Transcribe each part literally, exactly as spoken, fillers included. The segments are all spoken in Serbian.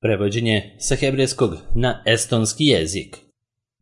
Prevođenje sa hebrejskog na estonski jezik.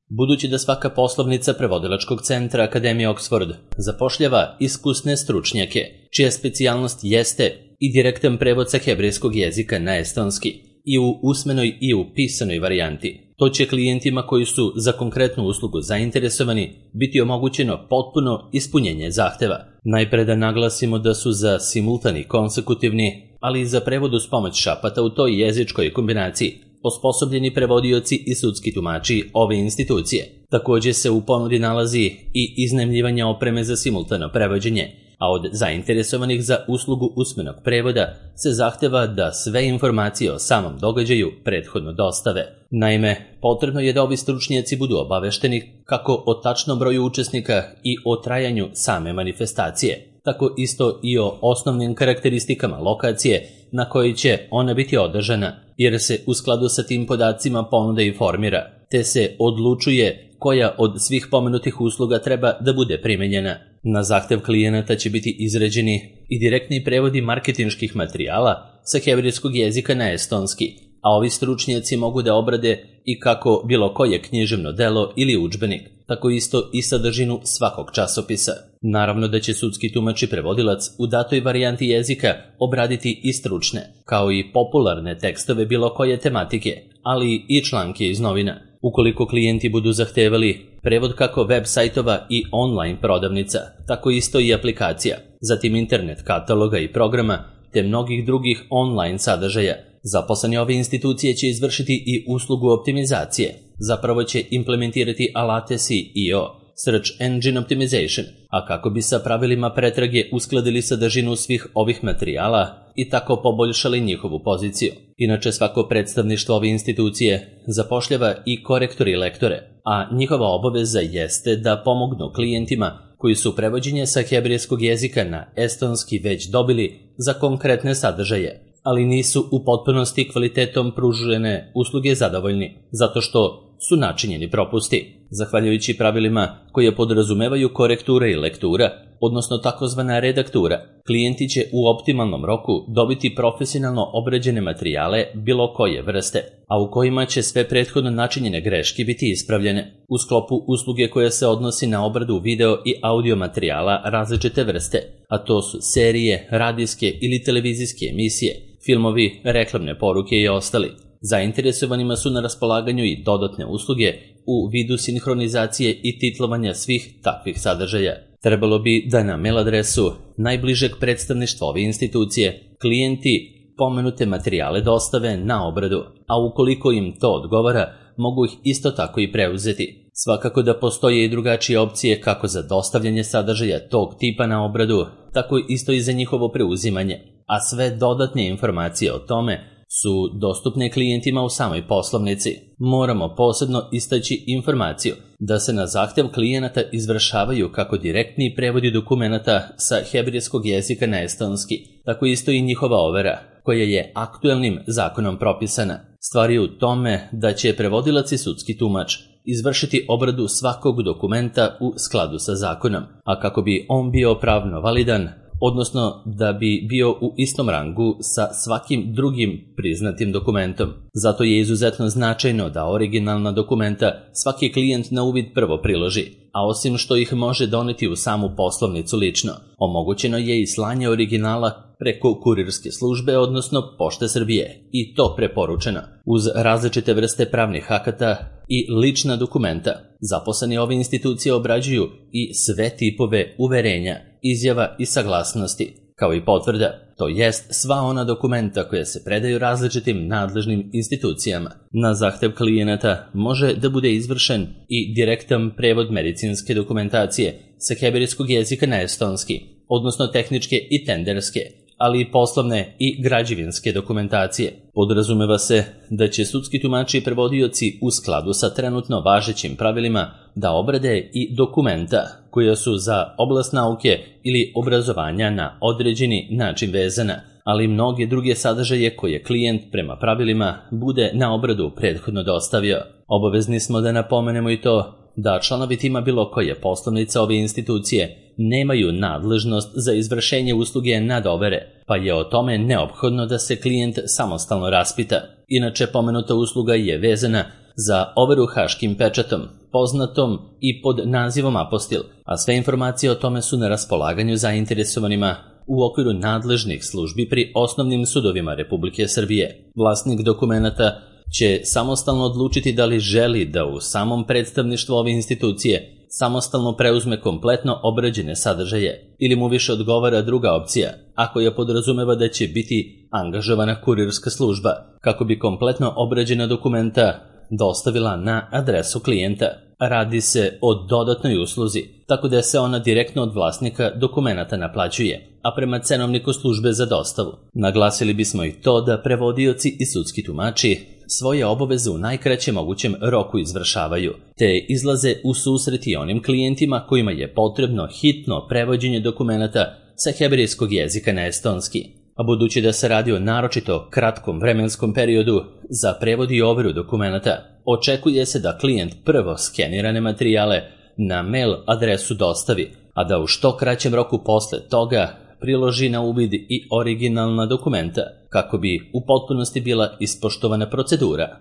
Budući da svaka poslovnica prevodilačkog centra Akademije Oxford zapošljava iskusne stručnjake, čija specijalnost jeste i direktan prevod sa hebrejskog jezika na estonski, i u usmenoj i u pisanoj varijanti, to će klijentima koji su za konkretnu uslugu zainteresovani biti omogućeno potpuno ispunjenje zahteva. Najpre da naglasimo da su za simultani konsekutivni, ali i za prevod uz pomoć šapata u toj jezičkoj kombinaciji osposobljeni prevodioci i sudski tumači ove institucije. Također se u ponudi nalazi i iznajmljivanje opreme za simultano prevođenje, a od zainteresovanih za uslugu usmenog prevoda se zahteva da sve informacije o samom događaju prethodno dostave. Naime, potrebno je da ovi stručnjaci budu obavešteni kako o tačnom broju učesnika i o trajanju same manifestacije, tako isto i o osnovnim karakteristikama lokacije na kojoj će ona biti održana, jer se u skladu sa tim podacima ponuda i formira, te se odlučuje koja od svih pomenutih usluga treba da bude primenjena. Na zahtev klijenata će biti izrađeni i direktni prevodi marketinških materijala sa hebrejskog jezika na estonski, a ovi stručnjaci mogu da obrade i kako bilo koje književno delo ili udžbenik, tako isto i sadržinu svakog časopisa. Naravno da će sudski tumač i prevodilac u datoj varijanti jezika obraditi i stručne, kao i popularne tekstove bilo koje tematike, ali i članke iz novina. Ukoliko klijenti budu zahtevali prevod kako web sajtova i online prodavnica, tako isto i aplikacija, zatim internet kataloga i programa, te mnogih drugih online sadržaja, zaposleni ove institucije će izvršiti i uslugu optimizacije. Zapravo će implementirati alate S E O, Search Engine Optimization, a kako bi sa pravilima pretrage uskladili sadržinu svih ovih materijala i tako poboljšali njihovu poziciju. Inače, svako predstavništvo ove institucije zapošljava i korektore i lektore, a njihova obaveza jeste da pomognu klijentima koji su prevođenje sa hebrejskog jezika na estonski već dobili za konkretne sadržaje, ali nisu u potpunosti kvalitetom pružene usluge zadovoljni, zato što su načinjeni propusti. Zahvaljujući pravilima koje podrazumevaju korektura i lektura, odnosno takozvana redaktura, klijenti će u optimalnom roku dobiti profesionalno obrađene materijale bilo koje vrste, a u kojima će sve prethodno načinjene greške biti ispravljene. U sklopu usluge koja se odnosi na obradu video i audio materijala različite vrste, a to su serije, radijske ili televizijske emisije, filmovi, reklamne poruke i ostali. Zainteresovanima su na raspolaganju i dodatne usluge u vidu sinhronizacije i titlovanja svih takvih sadržaja. Trebalo bi da na mail adresu najbližeg predstavništva ove institucije klijenti pomenute materijale dostave na obradu, a ukoliko im to odgovara, mogu ih isto tako i preuzeti. Svakako da postoje i drugačije opcije kako za dostavljanje sadržaja tog tipa na obradu, tako isto i za njihovo preuzimanje, a sve dodatne informacije o tome su dostupne klijentima u samoj poslovnici. Moramo posebno istaći informaciju da se na zahtev klijenata izvršavaju kako direktni prevodi dokumenata sa hebrejskog jezika na estonski, tako isto i njihova overa, koja je aktuelnim zakonom propisana. Stvar je u tome da će prevodilac i sudski tumač izvršiti obradu svakog dokumenta u skladu sa zakonom, a kako bi on bio pravno validan, odnosno da bi bio u istom rangu sa svakim drugim priznatim dokumentom. Zato je izuzetno značajno da originalna dokumenta svaki klijent na uvid prvo priloži, a osim što ih može doneti u samu poslovnicu lično, omogućeno je i slanje originala preko kurirske službe, odnosno Pošte Srbije, i to preporučeno. Uz različite vrste pravnih akata i lična dokumenta, zaposleni ove institucije obrađuju i sve tipove uverenja, izjava i saglasnosti, kao i potvrda, to jest sva ona dokumenta koja se predaju različitim nadležnim institucijama. Na zahtev klijenata može da bude izvršen i direktan prevod medicinske dokumentacije sa hebrejskog jezika na estonski, odnosno tehničke i tenderske, ali i poslovne i građevinske dokumentacije. Podrazumeva se da će sudski tumači i prevodioci u skladu sa trenutno važećim pravilima da obrade i dokumenta koja su za oblast nauke ili obrazovanja na određeni način vezana, ali i mnoge druge sadržaje koje klijent prema pravilima bude na obradu prethodno dostavio. Obavezni smo da napomenemo i to da članovi tima bilo koje poslovnice ove institucije nemaju nadležnost za izvršenje usluge nadovere, pa je o tome neophodno da se klijent samostalno raspita. Inače, pomenuta usluga je vezana za overu haškim pečatom, poznatom i pod nazivom apostil, a sve informacije o tome su na raspolaganju zainteresovanima u okviru nadležnih službi pri osnovnim sudovima Republike Srbije. Vlasnik dokumenata će samostalno odlučiti da li želi da u samom predstavništvu ove institucije samostalno preuzme kompletno obrađene sadržaje ili mu više odgovara druga opcija, ako je podrazumeva da će biti angažovana kurirska služba kako bi kompletno obrađena dokumenta dostavila na adresu klijenta. Radi se o dodatnoj usluzi, tako da se ona direktno od vlasnika dokumenata naplaćuje, a prema cenovniku službe za dostavu. Naglasili bismo i to da prevodioci i sudski tumači svoje obaveze u najkraćem mogućem roku izvršavaju, te izlaze u susret i onim klijentima kojima je potrebno hitno prevođenje dokumenata sa hebrejskog jezika na estonski. A budući da se radi o naročito kratkom vremenskom periodu za prevod i overu dokumenata, očekuje se da klijent prvo skenirane materijale na mail adresu dostavi, a da u što kraćem roku posle toga priloži na uvid i originalna dokumenta, kako bi u potpunosti bila ispoštovana procedura.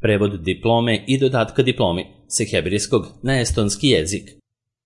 Prevod diplome i dodatka diplomi sa hebrejskog na estonski jezik.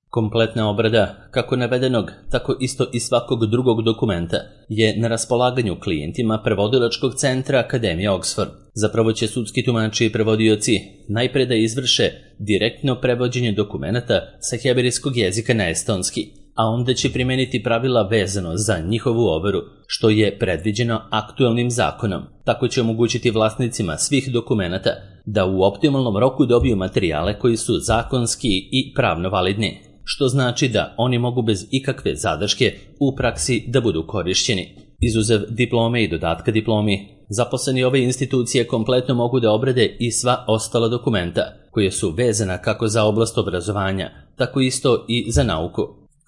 Kompletna obrada, kako navedenog, tako isto i svakog drugog dokumenta, je na raspolaganju klijentima prevodilačkog centra Akademije Oxford. Zapravo će sudski tumači i prevodioci najpre da izvrše direktno prevođenje dokumenata sa hebrejskog jezika na estonski, a onda će primeniti pravila vezano za njihovu overu, što je predviđeno aktualnim zakonom. Tako će omogućiti vlasnicima svih dokumenata da u optimalnom roku dobiju materijale koji su zakonski i pravno validni, što znači da oni mogu bez ikakve zadrške u praksi da budu korišćeni. Izuzev diplome i dodatka diplomi, zaposleni ove institucije kompletno mogu da obrade i sva ostala dokumenta, koje su vezana kako za oblast obrazovanja, tako isto i za nauku.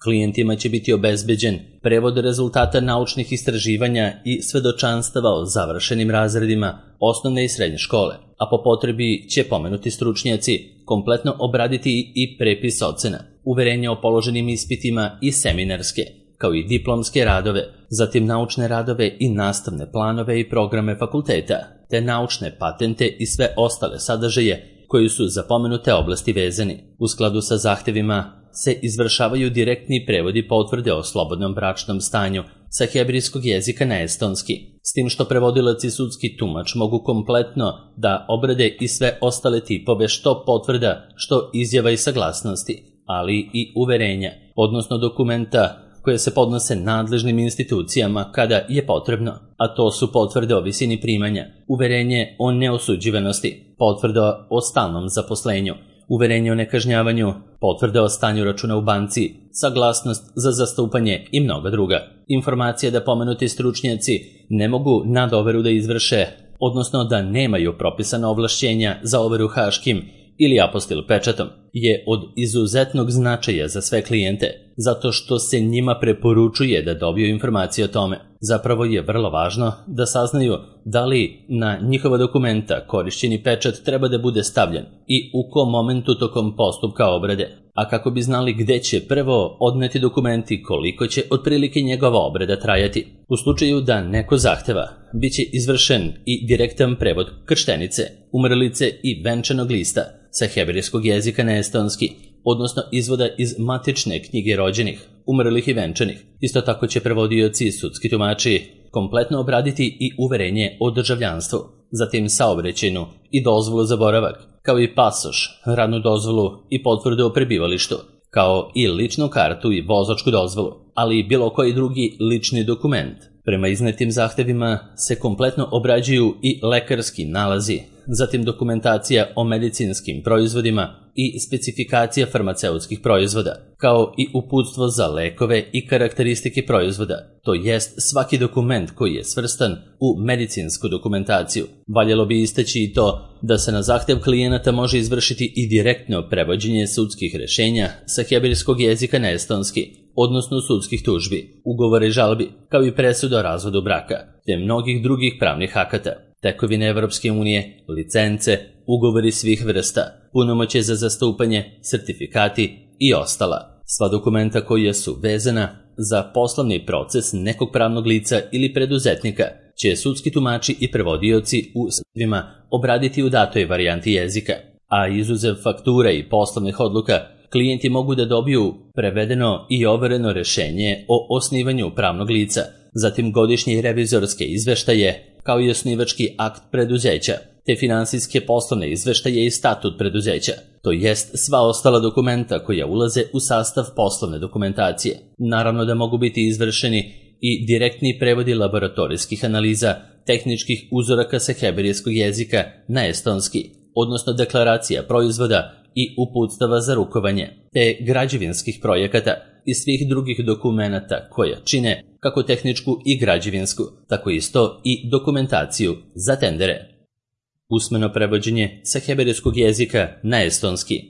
Klijentima će biti obezbeđen prevod rezultata naučnih istraživanja i svedočanstava o završenim razredima osnovne i srednje škole, a po potrebi će pomenuti stručnjaci kompletno obraditi i prepis ocena, uverenja o položenim ispitima i seminarske, kao i diplomske radove, zatim naučne radove i nastavne planove i programe fakulteta, te naučne patente i sve ostale sadržaje koji su za pomenute oblasti vezani. U skladu sa zahtevima se izvršavaju direktni prevodi potvrde o slobodnom bračnom stanju sa hebrejskog jezika na estonski, s tim što prevodilac i sudski tumač mogu kompletno da obrade i sve ostale tipove što potvrda, što izjava i saglasnosti, ali i uverenja, odnosno dokumenta koje se podnose nadležnim institucijama kada je potrebno, a to su potvrde o visini primanja, uverenje o neosuđivanosti, potvrda o stalnom zaposlenju, uverenje o nekažnjavanju, potvrda o stanju računa u banci, saglasnost za zastupanje i mnoga druga. Informacija da pomenuti stručnjaci ne mogu nadoveru da izvrše, odnosno da nemaju propisana ovlašćenja za overu haškim ili apostil pečatom, je od izuzetnog značaja za sve klijente, zato što se njima preporučuje da dobiju informacije o tome. Zapravo je vrlo važno da saznaju da li na njihova dokumenta korišćeni pečat treba da bude stavljen i u kom momentu tokom postupka obrade, a kako bi znali gde će prvo odneti dokumenti, koliko će otprilike njegova obrada trajati. U slučaju da neko zahteva, bit će izvršen i direktan prevod krštenice, umrlice i venčanog lista sa hebrejskog jezika na estonski, odnosno izvoda iz matične knjige rođenih, umrlih i venčanih. Isto tako će prevodioci i sudski tumači kompletno obraditi i uverenje o državljanstvu, zatim saobraćajnu i dozvolu za boravak, kao i pasoš, radnu dozvolu i potvrdu o prebivalištu, kao i ličnu kartu i vozačku dozvolu, ali i bilo koji drugi lični dokument. Prema iznetim zahtevima se kompletno obrađuju i lekarski nalazi, zatim dokumentacija o medicinskim proizvodima i specifikacija farmaceutskih proizvoda, kao i uputstvo za lekove i karakteristike proizvoda, to jest svaki dokument koji je svrstan u medicinsku dokumentaciju. Valjalo bi istaći i to da se na zahtev klijenata može izvršiti i direktno prevođenje sudskih rešenja sa hebrejskog jezika na estonski, odnosno sudskih tužbi, ugovora i žalbi, kao i presuda o razvodu braka, te mnogih drugih pravnih akata, tekovine Evropske unije, licence, ugovori svih vrsta, punomoćje za zastupanje, sertifikati i ostala. Sva dokumenta koja su vezana za poslovni proces nekog pravnog lica ili preduzetnika će sudski tumači i prevodioci u sudovima obraditi u datoj varijanti jezika, a izuzev faktura i poslovnih odluka, klijenti mogu da dobiju prevedeno i overeno rešenje o osnivanju pravnog lica, zatim godišnje revizorske izveštaje, kao i osnivački akt preduzeća, te finansijske poslovne izveštaje i statut preduzeća, to jest sva ostala dokumenta koja ulaze u sastav poslovne dokumentacije. Naravno da mogu biti izvršeni i direktni prevodi laboratorijskih analiza, tehničkih uzoraka sa hebrejskog jezika na estonski, odnosno deklaracija proizvoda i uputstava za rukovanje, te građevinskih projekata i svih drugih dokumenata koja čine kako tehničku i građevinsku, tako isto i dokumentaciju za tendere. Usmeno prevođenje sa hebrejskog jezika na estonski.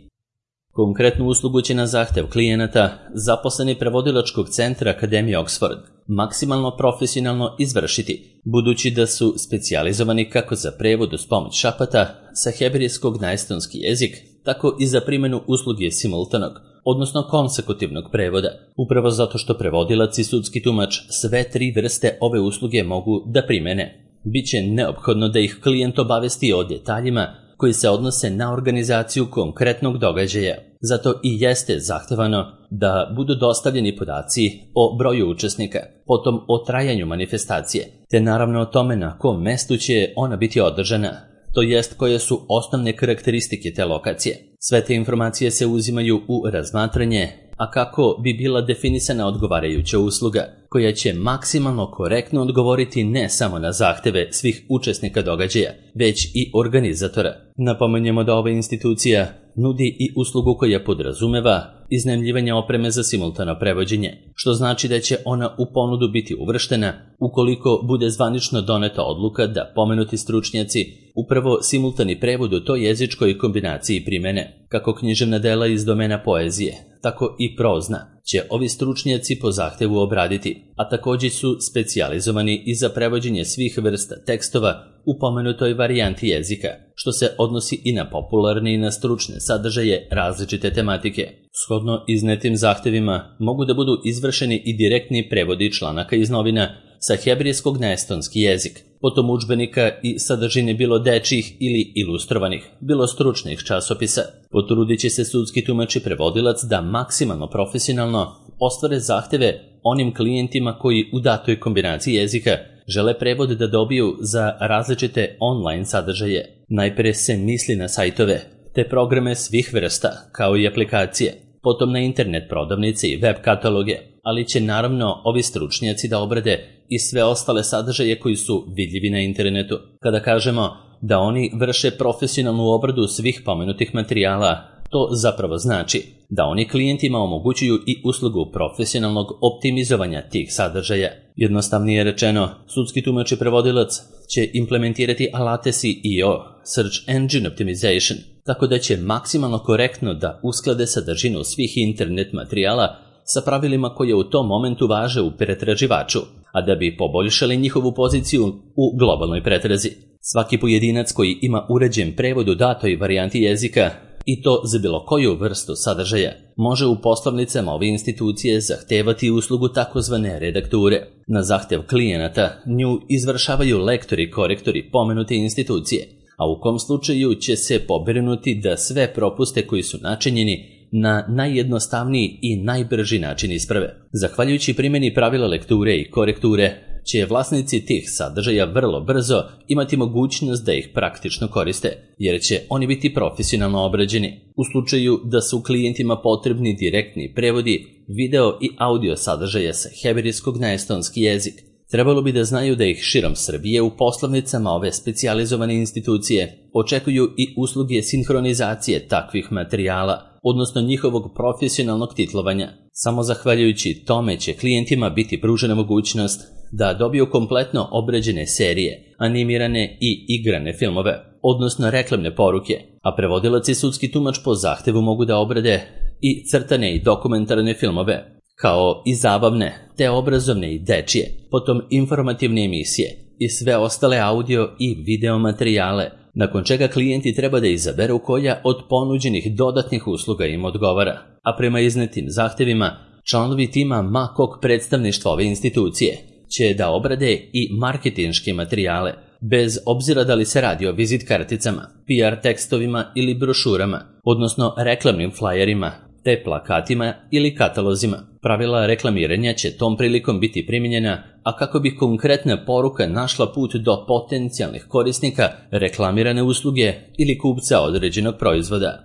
Konkretnu uslugu će na zahtev klijenata zaposleni prevodilačkog centra Akademije Oxford maksimalno profesionalno izvršiti, budući da su specijalizovani kako za prevod uz pomoć šapata sa hebrejskog na estonski jezik, tako i za primjenu usluge simultanog, odnosno konsekutivnog prevoda, upravo zato što prevodilac i sudski tumač sve tri vrste ove usluge mogu da primene. Biće neophodno da ih klijent obavesti o detaljima koji se odnose na organizaciju konkretnog događaja. Zato i jeste zahtevano da budu dostavljeni podaci o broju učesnika, potom o trajanju manifestacije, te naravno o tome na kom mestu će ona biti održana, to jest koje su osnovne karakteristike te lokacije. Sve te informacije se uzimaju u razmatranje, a kako bi bila definisana odgovarajuća usluga, koja će maksimalno korektno odgovoriti ne samo na zahteve svih učesnika događaja, već i organizatora. Napomenjemo da ova institucija nudi i uslugu koja podrazumeva iznajmljivanje opreme za simultano prevođenje, što znači da će ona u ponudu biti uvrštena ukoliko bude zvanično doneta odluka da pomenuti stručnjaci upravo simultani prevod u toj jezičkoj kombinaciji primene, kako književna dela iz domena poezije, tako i prozna, će ovi stručnjaci po zahtevu obraditi, a također su specijalizovani i za prevođenje svih vrsta tekstova u pomenutoj varijanti jezika, što se odnosi i na popularne i na stručne sadržaje različite tematike. Shodno iznetim zahtevima mogu da budu izvršeni i direktni prevodi članaka iz novina sa hebrejskog na estonski jezik, potom udžbenika i sadržine bilo dečjih ili ilustrovanih, bilo stručnih časopisa. Potrudit će se sudski tumač i prevodilac da maksimalno profesionalno ostvare zahteve onim klijentima koji u datoj kombinaciji jezika žele prevod da dobiju za različite online sadržaje. Najpre se misli na sajtove, te programe svih vrsta, kao i aplikacije, potom na internet prodavnice i web kataloge, ali će naravno ovi stručnjaci da obrade i sve ostale sadržaje koji su vidljivi na internetu. Kada kažemo da oni vrše profesionalnu obradu svih pomenutih materijala, to zapravo znači da oni klijentima omogućuju i uslugu profesionalnog optimizovanja tih sadržaja. Jednostavnije rečeno, sudski tumač i prevodilac će implementirati alate S E O, Search Engine Optimization, tako da će maksimalno korektno da usklade sadržinu svih internet materijala sa pravilima koje u tom momentu važe u pretraživaču, a da bi poboljšali njihovu poziciju u globalnoj pretrazi. Svaki pojedinac koji ima uređen prevod u datoj varijanti jezika, i to za bilo koju vrstu sadržaja, može u poslovnicama ove institucije zahtevati uslugu takozvane redakture. Na zahtev klijenata nju izvršavaju lektori i korektori pomenute institucije, a u kom slučaju će se pobrinuti da sve propuste koji su načinjeni na najjednostavniji i najbrži način isprave. Zahvaljujući primjeni pravila lekture i korekture, će vlasnici tih sadržaja vrlo brzo imati mogućnost da ih praktično koriste, jer će oni biti profesionalno obrađeni. U slučaju da su klijentima potrebni direktni prevodi video i audio sadržaja sa hebrejskog na estonski jezik, trebalo bi da znaju da ih širom Srbije u poslovnicama ove specijalizovane institucije očekuju i usluge sinhronizacije takvih materijala, odnosno njihovog profesionalnog titlovanja. Samo zahvaljujući tome će klijentima biti pružena mogućnost da dobiju kompletno obrađene serije, animirane i igrane filmove, odnosno reklamne poruke, a prevodilac i sudski tumač po zahtevu mogu da obrade i crtane i dokumentarne filmove, kao i zabavne, te obrazovne i dečije, potom informativne emisije i sve ostale audio i video materijale nakon čega klijenti treba da izaberu koja od ponuđenih dodatnih usluga im odgovara, a prema iznetim zahtevima, članovi tima ma kog predstavništva ove institucije će da obrade i marketinške materijale, bez obzira da li se radi o vizit karticama, P R tekstovima ili brošurama, odnosno reklamnim flajerima, te plakatima ili katalozima. Pravila reklamiranja će tom prilikom biti primijenjena, a kako bi konkretna poruka našla put do potencijalnih korisnika reklamirane usluge ili kupca određenog proizvoda.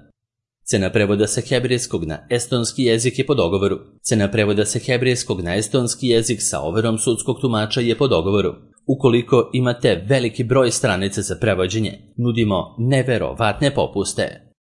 Cena prevoda sa hebrejskog na estonski jezik je po dogovoru. Cena prevoda sa hebrejskog na estonski jezik sa overom sudskog tumača je po dogovoru. Ukoliko imate veliki broj stranica za prevođenje, nudimo neverovatne popuste.